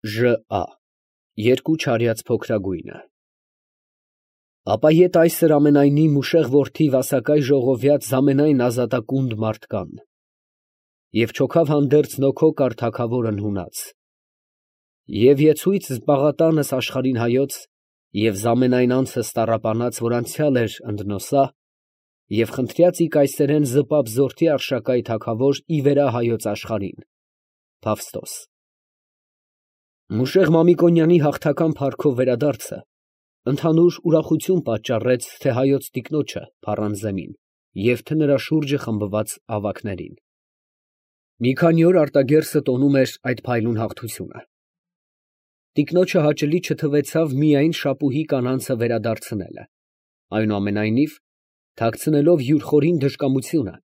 ԺԱ երկու չարյաց փոքրագույնը։ Ապա ետ այսր ամենայնի մուշեղ որդի վասակայ ժողովյաց զամենայն ազատակունդ մարդ կան։ Եվ չոքավ հանդերձ նոքո կար թագավորն հունած։ Եվ եցույց զբաղատանս աշխարհին հայոց, և զամենայն անցս տառապանած, որ անցյալ էր ընդնոսա, և խնդրյաց ի կայսերեն զպապ զորթի արշակայ թագավոր ի վերա հայոց աշխարհին, Փավստոս։ Մուշեղ Մամիկոնյանի հաղթական փառքով վերադարձը ընդհանուր ուրախություն պատճառեց թե հայոց տիկնոջը Փառանզեմին և թե նրա շուրջը խմբված ավագներին։ Մի քանի օր արտագերսը տոնում էր այդ փայլուն հաղթությունը։ Տիկնոջը հաճելի չթվեցավ միայն Շապուհի կանանցը վերադարձնելը, այնուամենայնիվ, թաքցնելով յուր խորին դժկամությունը,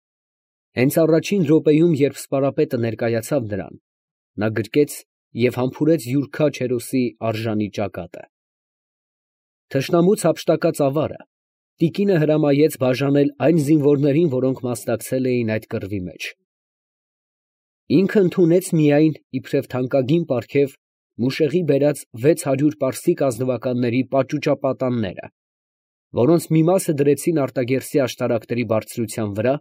հենց առաջին րոպեում, երբ սպարապետը ներկայացավ նրան, նա գրկեց և համբուրեց յուր քաջ հերոսի արժանի ճակատը։ Թշնամուց հափշտակած ավարը տիկինը հրամայեց բաժանել այն զինվորներին, որոնք մասնակցել էին այդ կռվի մեջ։ Ինքը ընդունեց միայն իբրև թանկագին պարգև մուշեղի բերած 600 պարսիկ ազնվականների պաճուճապատանները, որոնց մի մասը դրեցին արտագերսի աշտարակների բարձրության վրա,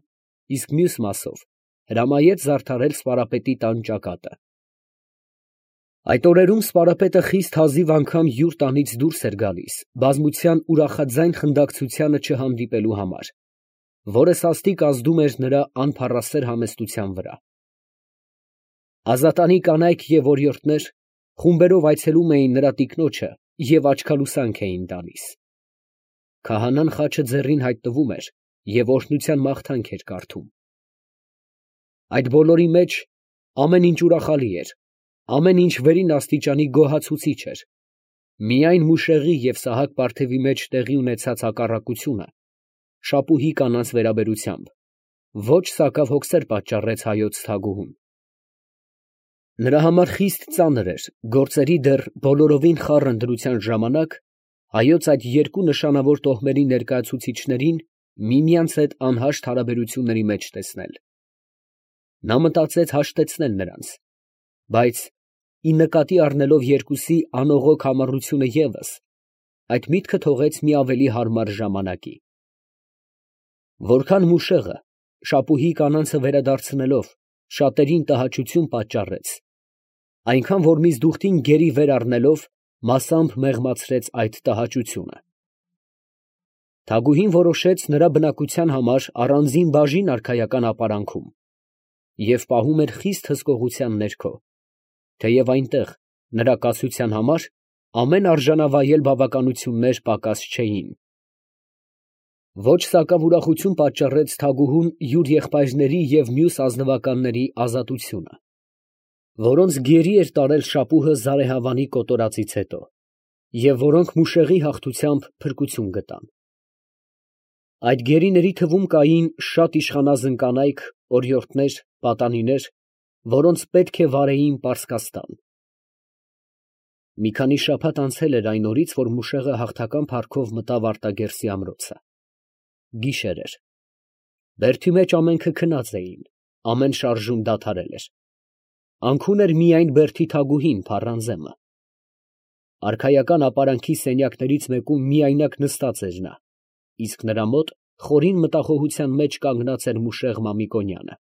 իսկ մյուս մասով հրամայեց զարդարել սպարապետի տան ճակատը։ Այդ օրերում սպարապետը խիստ հազիվ անգամ յուր տանից դուրս էր գալիս բազմության ուրախաձայն խնդակցությանը չհանդիպելու համար, որը սաստիկ ազդում էր նրա անփառասեր համեստության վրա։ Ազատանի կանայք և օրիորդներ խումբերով այցելում էին նրա տիկնոջը և աչքալուսանք էին տալիս։ Քահանան խաչը ձեռին հայտնվում էր և օրհնության մաղթանք էր կարդում։ Այդ բոլորի մեջ ամեն ինչ ուրախալի էր, ամեն ինչ վերին աստիճանի գոհացուցիչ էր, միայն մուշեղի և Սահակ պարթևի մեջ տեղի ունեցած հակառակությունը Շապուհի կանանց վերաբերությամբ ոչ սակավ հոգսեր պատճառեց հայոց թագուհուն։ Նրա համար խիստ ծանր էր գործերի դեռ բոլորովին խառն դրության ժամանակ հայոց այդ երկու նշանավոր տոհմերի ներկայացուցիչներին միմյանց հետ անհաշտ հարաբերությունների մեջ տեսնել։ Նա մտածեց հաշտեցնել նրանց, բայց ի նկատի առնելով երկուսի անողոք համառությունը ևս, այդ միտքը թողեց մի ավելի հարմար ժամանակի։ Որքան մուշեղը Շապուհի կանանցը վերադարձնելով շատերին տհաճություն պատճառեց, այնքան որ միզդուխտին գերի վեր առնելով մասամբ մեղմացրեց այդ տհաճությունը։ Թագուհին որոշեց նրա բնակության համար առանձին բաժին արքայական ապարանքում և պահում էր խիստ հսկողության ներքո, թեև այնտեղ նրա կացության համար ամեն արժանավայել բավականություններ պակաս չէին։ Ոչ սակավ ուրախություն պատճառեց թագուհուն յուր եղբայրների և մյուս ազնվականների ազատությունը, որոնց գերի էր տարել Շապուհը Զարեհավանի կոտորածից հետո, և որոնք մուշեղի հաղթությամբ փրկություն գտան։ Այդ գերիների թվում կային շատ իշխանազն կանայք, օրիորդներ, պատանիներ, որոնց պետք է վարեին Պարսկաստան։ Մի քանի շաբաթ անցել էր այն օրից, որ մուշեղը հաղթական փառքով մտավ արտագերսի ամրոցը։ Գիշեր էր։ Բերդի մեջ ամենքը քնած էին, ամեն շարժում դադարել էր։ Անքուն էր միայն բերդի թագուհին Փառանզեմը։ Արքայական ապարանքի սենյակներից մեկում միայնակ նստած էր նա, իսկ նրա մոտ խորին մտախոհության մեջ կանգնած էր մուշեղ Մամիկոնյանը։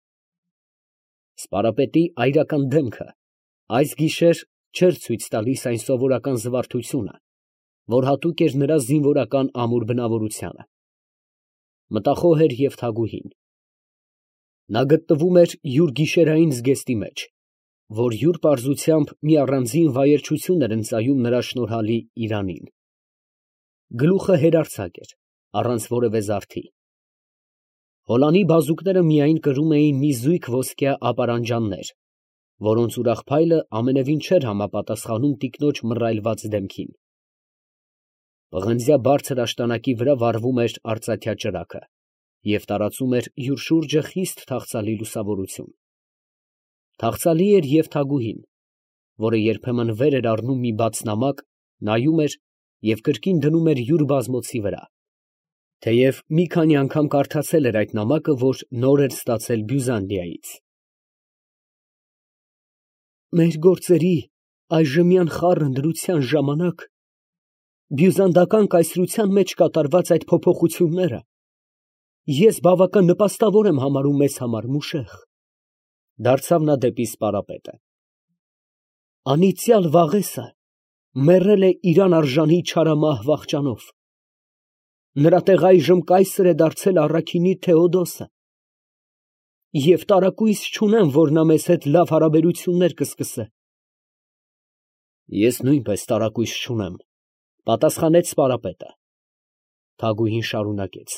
Սպարապետի այրական դեմքը այս գիշեր չէր ցույց տալիս այն սովորական զվարթությունը, որ հատուկ էր նրա զինվորական ամուր բնավորությանը։ Մտախոհ էր և թագուհին։ Նա գտնվում էր յուր գիշերային զգեստի մեջ, որ յուր պարզությամբ մի առանձին վայելչություն էր ընծայում նրա շնորհալի իրանին։ Գլուխը հերարձակ էր, առանց որևէ զարդի։ Հոլանի բազուկները միայն կրում էին մի զույգ ոսկյա ապարանջաններ, որոնց ուրախ փայլը ամենևին չէր համապատասխանում տիկնոջ մռայլված դեմքին։ Պղնձյա բարձր աշտանակի վրա վառվում էր արծաթյա ճրագը և տարածում էր յուր շուրջը խիստ թախծալի լուսավորություն։ Թախծալի էր և թագուհին, որը երբեմն վեր էր առնում մի բաց նամակ, նայում էր և կրկին դնում էր յուր բազմոցի վրա, թեև մի քանի անգամ կարդացել էր այդ նամակը, որ նոր էր ստացել Բյուզանդիայից։ «Մեր գործերի Այժմյան խառը դրության ժամանակ բյուզանդական կայսրության մեջ կատարված այդ փոփոխությունները ես բավական նպաստավոր եմ համարում մեզ համար, Մուշեղ։ Դարձավ նա դեպի սպարապետը։ Անիծյալ Վաղեսը մեռել է իրան արժանի չարամահ վախճանով։ Նրա տեղ այժմ կայսր է դարձել առաքինի Թեոդոսը։ Եվ տարակույս չունեմ, որ նա մեզ հետ լավ հարաբերություններ կսկսե։ Ես նույնպես տարակույս չունեմ, պատասխանեց սպարապետը։ Թագուհին շարունակեց.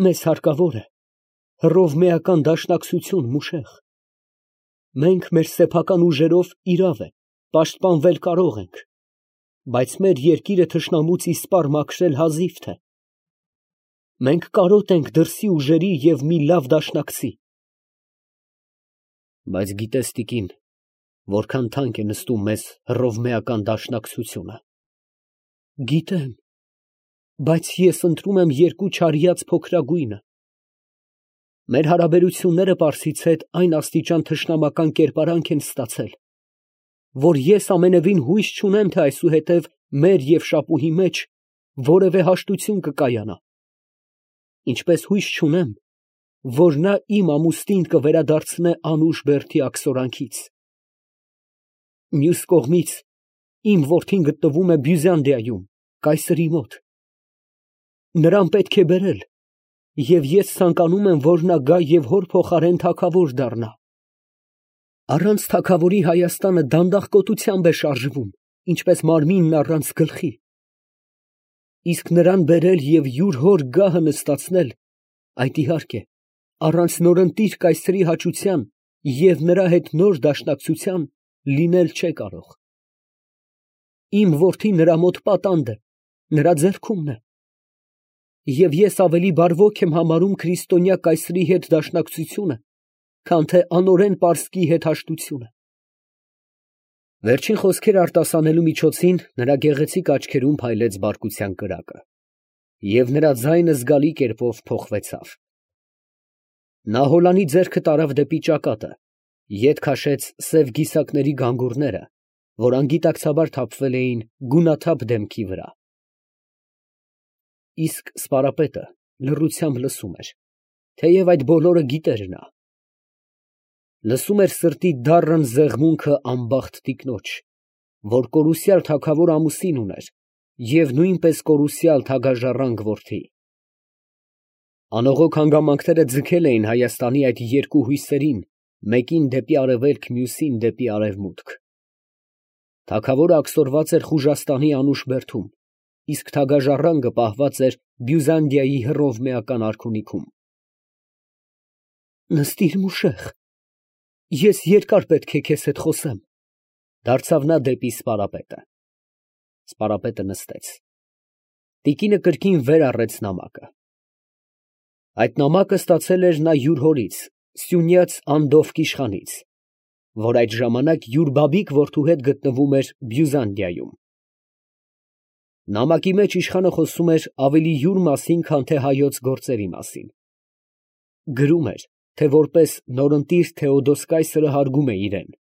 Մեզ հարկավոր է հռովմեական դաշնակցություն, Մուշեղ։ Մենք մեր սեփական ուժերով իրավ է, պաշտպանվել կարող ենք, բայց մեր երկիրը թշնամուց իսպառ մաքրել հազիվ թե։ Մենք կարոտ ենք դրսի ուժերի և մի լավ դաշնակցի։ Բայց գիտես, տիկին, որքան թանկ է նստում մեզ հռովմեական դաշնակցությունը։ Գիտեմ, բայց ես ընտրում եմ երկու չարիած փոքրագույնը։ Մեր հարաբերությունները Պարսից հետ այն աստիճան թշնամական կերպարանք են ստացել, որ ես ամենևին հույս չունեմ, թե այսուհետև մեր և Շապուհի մեջ որևէ հաշտություն կկայանա, ինչպես հույս չունեմ, որ նա իմ ամուսնին կվերադարձնե անուշ բերդի աքսորանքից։ Մյուս կողմից, իմ որդին գտնվում է Բյուզանդիայում, կայսրի մոտ։ Նրան պետք է բերել, և ես ցանկանում եմ, որ նա գա և հոր փոխարեն թագավոր դառնա։ Առանց թագավորի Հայաստանը դանդաղ կոտությամբ է շարժվում, ինչպես մարմինն առանց գլխի։ Իսկ նրան բերել և յուր հոր գահը նստացնել, այդ իհարկե, առանց նորընտիր կայսրի հաճության և նրա հետ նոր դաշնակցության լինել չէ կարող։ Իմ որդին նրա մոտ պատանդ է, նրա ձեռքումն է։ Եվ ես ավելի բարվոք եմ համարում քրիստոնյա կայսրի հետ դաշնակցությունը, քան թե անօրեն պարսկի հետ հաշտությունը։ Վերջին խոսքերը արտասանելու միջոցին նրա գեղեցիկ աչքերում փայլեց բարկության կրակը, և նրա ձայնը զգալի կերպով փոխվեցավ։ Նա հոլանի ձեռքը տարավ դեպի ճակատը, ետ քաշեց սև գիսակների գանգուրները, որ անգիտակցաբար թափվել էին գունաթափ դեմքի վրա։ Իսկ սպարապետը լռությամբ լսում էր, թեև այդ բոլորը գիտեր նա։ Լսում էր սրտի դառն զեղմունքը անբախտ տիկնոջ, որ կորուսյալ թագավոր ամուսին ուներ և նույնպես կորուսյալ թագաժառանգ որդի։ Անողոք հանգամանքները ձգել էին Հայաստանի այդ երկու հույսերին, մեկին դեպի արևելք, մյուսին դեպի արևմուտք։ Թագավորը աքսորված էր Խուժաստանի անուշ բերդում, իսկ թագաժառանգը պահված էր Բյուզանդիայի հռովմեական արքունիքում։ Նստիր, Մուշեղ, ես երկար պետք է քեզ հետ խոսեմ, դարձավ նա դեպի սպարապետը։ Սպարապետը նստեց։ Տիկինը կրկին վեր առեց նամակը։ Այդ նամակը ստացել էր նա յուր հորից, Սյունյաց Անդովկ իշխանից, որ այդ ժամանակ յուր բաբիկ որդու հետ գտնվում էր Բյուզանդիայում։ Նամակի մեջ իշխանը խոսում էր ավելի յուր մասին, քան թե հայոց գործերի մասին։ Գրում էր, թե որպես նորընտիր Թեոդոս կայսրը հարգում է իրեն,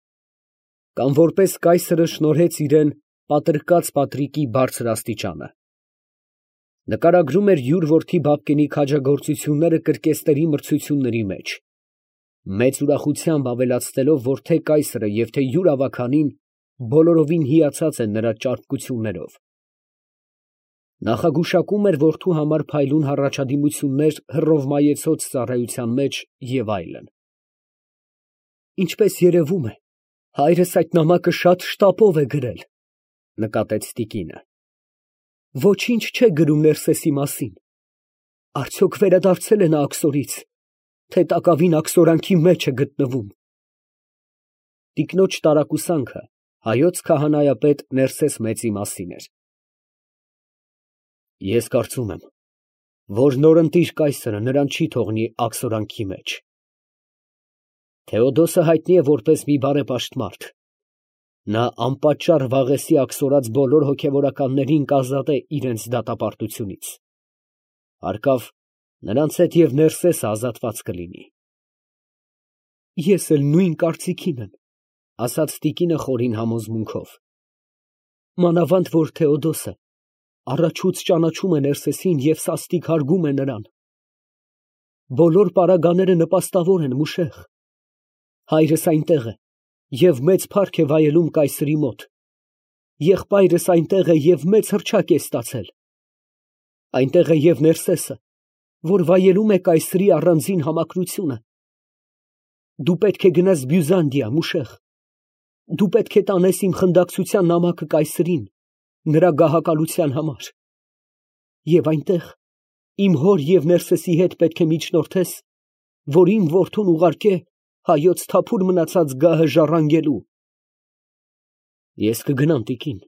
կամ որպես կայսրը շնորհեց իրեն պատրկած Պատրիկի բարձր աստիճանը։ Նկարագրում էր յուր որդի Բաբկենի քաջագործությունները կրկեսների մրցությունների մեջ, մեծ ուրախությամբ ավելացնելով, որ թե կայսրը և թե յուր ավագանին բոլորովին հիացած են նրա ճարպկություններով։ Նախագուշակում էր որդու համար փայլուն հառաջադիմություններ հռովմայեցոց ծառայության մեջ և այլն։ Ինչպես երևում է, հայրս այդ նամակը շատ շտապով է գրել, նկատեց տիկինը։ Ոչինչ չէ գրում Ներսեսի մասին։ Արդյոք վերադարձել է նա աքսորից, թե տակավին աքսորանքի մեջ է գտնվում։ Տիկնոջ տարակուսանքը հայոց քահանայապետ Ներսես մեծի մասին էր։ Ես կարծում եմ, որ նորընտիր կայսրը նրան չի թողնի աքսորանքի մեջ։ Թեոդոսը հայտնի է որպես մի բարեպաշտ մարդ։ Նա անպատճառ Վաղեսի աքսորած բոլոր հոգևորականներին կազատե իրենց դատապարտությունից։ Հարկավ, նրանց հետ և Ներսեսը ազատված կլինի։ Ես էլ նույն կարծիքին եմ։ ասաց տիկինը խորին համոզմունքով։ Մանավանդ որ Թեոդոսը առաջուց ճանաչում է Ներսեսին և սաստիկ հարգում է նրան։ Բոլոր պարագաները նպաստավոր են, Մուշեղ։ Հայրս այնտեղ է և մեծ փառք է վայելում կայսրի մոտ։ Եղբայրս այնտեղ է և մեծ հռչակ է ստացել։ Այնտեղ է և Ներսեսը, որ վայելում է կայսրի առանձին համակրությունը։ Դու պետք է գնաս Բյուզանդիա, Մուշեղ։ Դու պետք է տանես իմ խնդակցության նամակը կայսրին, նրա գահակալության համար։ Եվ այնտեղ իմ հոր և Ներսեսի հետ պետք է միջնորդես, որ իմ որդուն ուղարկե հայոց թափուր մնացած գահը ժառանգելու։ Ես կգնամ, տիկին,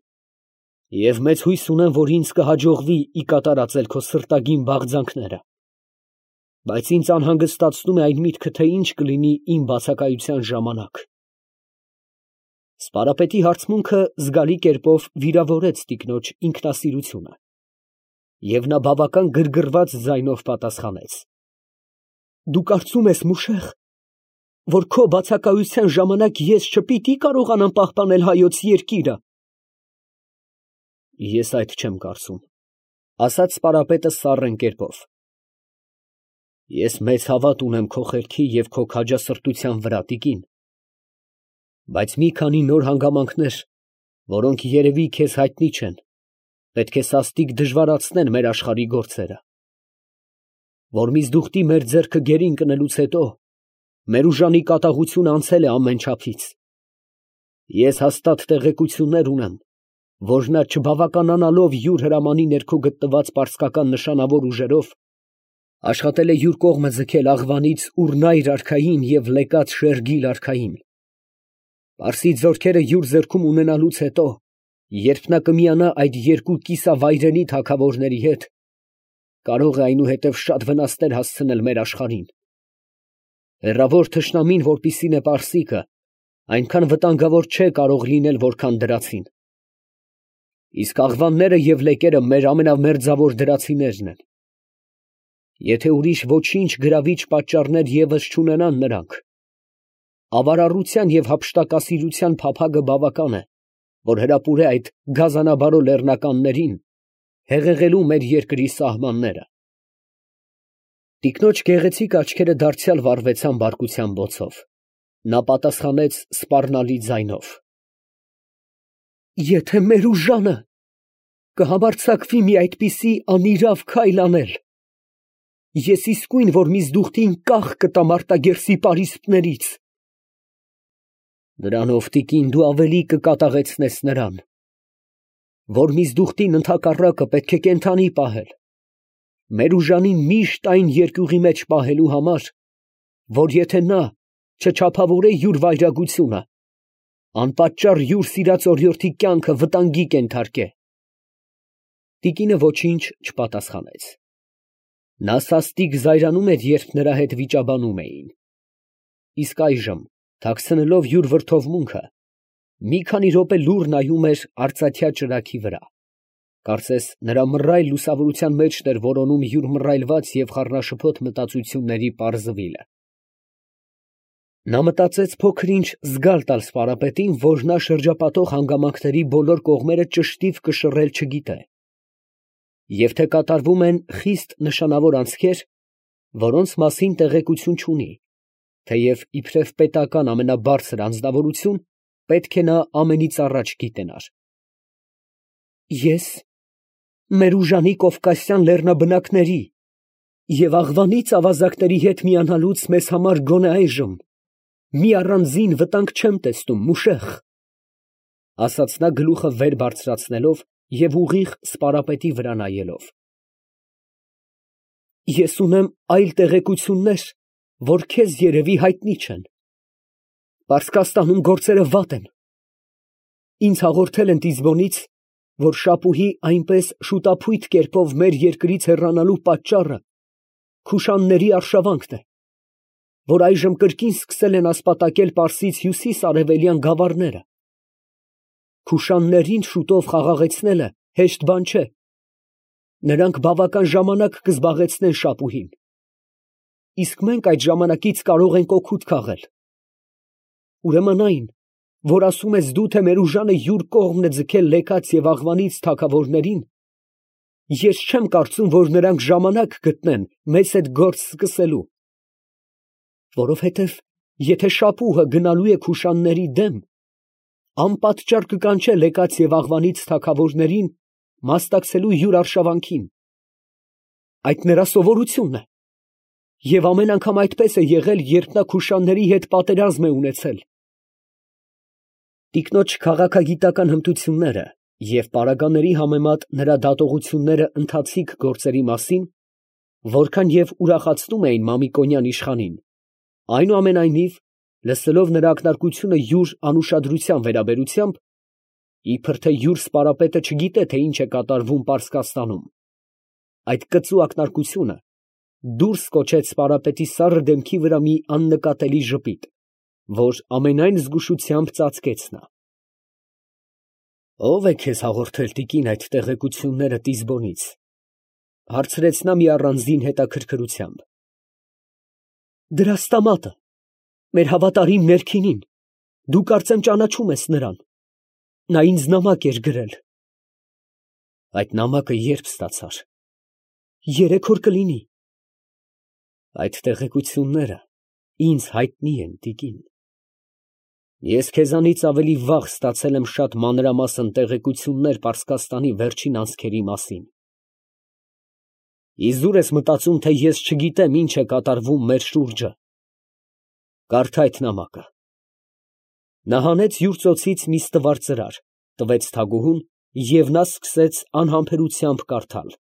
և մեծ հույս ունեմ, որ ինձ կհաջողվի ի կատար ածել քո սրտագին բաղձանքները, բայց ինձ անհանգստացնում է այն միտքը, թե ինչ կլինի իմ բացակայության ժամանակ։ Սպարապետի հարցմունքը զգալի կերպով վիրավորեց տիկնոջ ինքնասիրությունը, և նա բավական գրգռված ձայնով պատասխանեց. Դու կարծում ես, Մուշեղ, որ քո բացակայության ժամանակ ես չպիտի կարողանամ պահպանել հայոց երկիրը։ Ես այդ չեմ կարծում, ասաց սպարապետը սառն կերպով։ Ես մեծ հավատ ունեմ քո խելքի և քո քաջասրտության վրա, տիկին, բայց մի քանի նոր հանգամանքներ, որոնք երևի քեզ հայտնի չեն, պետք է սաստիկ դժվարացնեն մեր աշխարհի գործերը։ Որ միզդուխտի մեր ձեռքը գերին կնելուց հետո մեր ուժանի կատաղությունը անցել է ամեն չափից։ Ես հաստատ տեղեկություններ ունեմ, որ նա չբավականանալով յուր հրամանի ներքո գտնված պարսկական նշանավոր ուժերով, աշխատել է յուր կողմը ձգել Աղվանից Ուրնայր արքային և Լեկած Շերգիլ արքային։ Պարսից զորքերը յուր ձեռքում ունենալուց հետո, երբ նա կմիանա այդ երկու կիսավայրենի թագավորների հետ, կարող է այնուհետև շատ վնասներ հասցնել մեր աշխարհին։ Հեռավոր թշնամին, որպիսին է պարսիկը, այնքան վտանգավոր չէ կարող լինել, որքան դրացին։ Իսկ աղվանները և լեկերը մեր ամենամերձավոր դրացիներն են։ Եթե ուրիշ ոչինչ գրավիչ պատճառներ ևս չունենան նրանք, ավարառության և հափշտակասիրության փափագը բավական է, որ հրապուրե այդ գազանաբարո լեռնականներին, հեղեղելու մեր երկրի սահմանները։ Տիկնոջ գեղեցիկ աչքերը դարձյալ վառվեցան բարկության բոցով։ Նա պատասխանեց սպառնալի ձայնով. Եթե մեր ուժանը կհամարձակվի մի այդպիսի անիրավ քայլ անել, ես իսկույն որ միզդուխտին կախ կտամ արտագերսի պարիսպներից։ Դրանով, տիկին, դու ավելի կկատաղեցնես նրան, որ միզդուխտին ընդհակառակը պետք է կենդանի պահել, մեր ուժանին միշտ այն երկյուղի մեջ պահելու համար, որ եթե նա չչափավորե յուր վայրագությունը, անպատճառ յուր սիրած օրիորդի կյանքը վտանգի կենթարկե։ Տիկինը ոչինչ չպատասխանեց։ Նա սաստիկ զայրանում էր, երբ նրա հետ վիճաբանում էին։ Իսկ այժմ, թաքցնելով յուր վրդովմունքը, մի քանի րոպե լուռ նայում էր արծաթյա ճրագի վրա։ Կարծես նրա մռայլ լուսավորության մեջն էր որոնում յուր մռայլված և խառնաշփոթ մտածությունների պարզվիլը։ Նա մտածեց փոքր-ինչ զգալ տալ սպարապետին, որ նա շրջապատող հանգամանքների բոլոր կողմերը ճշտիվ կշռել չգիտե, և թե կատարվում են խիստ նշանավոր անցքեր, որոնց մասին տեղեկություն չունի, թեև իբրև պետական ամենաբարձր անձնավորություն պետք է նա ամենից առաջ գիտենար։ Ես մեր ուժանի կովկասյան լեռնաբնակների և Աղվանից ավազակների հետ միանալուց մեզ համար գոնե այժմ մի առանձին վտանգ չեմ տեսնում, Մուշեղ, ասաց նա գլուխը վեր բարձրացնելով և ուղիղ սպարապետի վրա նայելով։ Ես ունեմ այլ տեղեկություններ, որ քեզ երևի հայտնի չեն։ Պարսկաստանում գործերը վատ են։ Ինձ հաղորդել են Տիզբոնից, որ Շապուհի այնպես շուտափույթ կերպով մեր երկրից հեռանալու պատճառը Քուշանների արշավանքն է, որ այժմ կրկին սկսել են ասպատակել Պարսից հյուսիս֊արևելյան գավառները։ Քուշաններին շուտով խաղաղեցնելը հեշտ բան չէ։ Նրանք բավական ժամանակ կզբաղեցնեն Շապուհին, իսկ մենք այդ ժամանակից կարող ենք օգուտ քաղել։ Ուրեմն այն, որ ասում ես դու, թե մեր ուժանը յուր կողմն է ձգել Լեկաց և Աղվանից թագավորներին, ես չեմ կարծում, որ նրանք ժամանակ գտնեն մեզ հետ գործ սկսելու. որովհետև եթե շապուհը գնալու է Քուշանների դեմ, անպատճառ կկանչե Լեկաց և Աղվանից թագավորներին մասնակցելու յուր արշավանքին. այդ նրա սովորությունն է, և ամեն անգամ այդպես է եղել, երբ նա Քուշանների հետ պատերազմ է ունեցել։ Տիկնոջ քաղաքագիտական հմտությունները և պարագաների համեմատ նրա դատողությունները ընթացիկ գործերի մասին, որքան և ուրախացնում էին Մամիկոնյան իշխանին, այնուամենայնիվ, լսելով նրա ակնարկությունը յուր անուշադրության վերաբերությամբ, իբր թե յուր սպարապետը չգիտե, թե ինչ է կատարվում Պարսկաստանում, այդ կծու ակնարկությունը դուրս կոչեց սպարապետի սառը դեմքի վրա մի աննկատելի ժպիտ, որ ամենայն զգուշությամբ ծածկեց նա։ ֊ Ո՞վ է քեզ հաղորդել, տիկին, այդ տեղեկությունները Տիզբոնից, ֊ հարցրեց նա մի առանձին հետաքրքրությամբ։ ֊ Դրաստամատը, մեր հավատարիմ ներքինին, դու կարծեմ ճանաչում ես նրան, նա ինձ նամակ էր գրել։ ֊ Այդ նամակը ե՞րբ ստացար։ ֊ Երեք օր կլինի։ ֊ Այդ տեղեկությունները ինձ հայտնի են, տիկին. ես քեզանից ավելի վաղ ստացել եմ շատ մանրամասն տեղեկություններ Պարսկաստանի վերջին անցքերի մասին։ Իզուր ես մտածում, թե ես չգիտեմ ինչ է կատարվում մեր շուրջը։ Կարդա այդ նամակը։ Նա հանեց յուր ծոցից մի ստվար ծրար, տվեց թագուհուն, և նա սկսեց անհամբերությամբ կարդալ։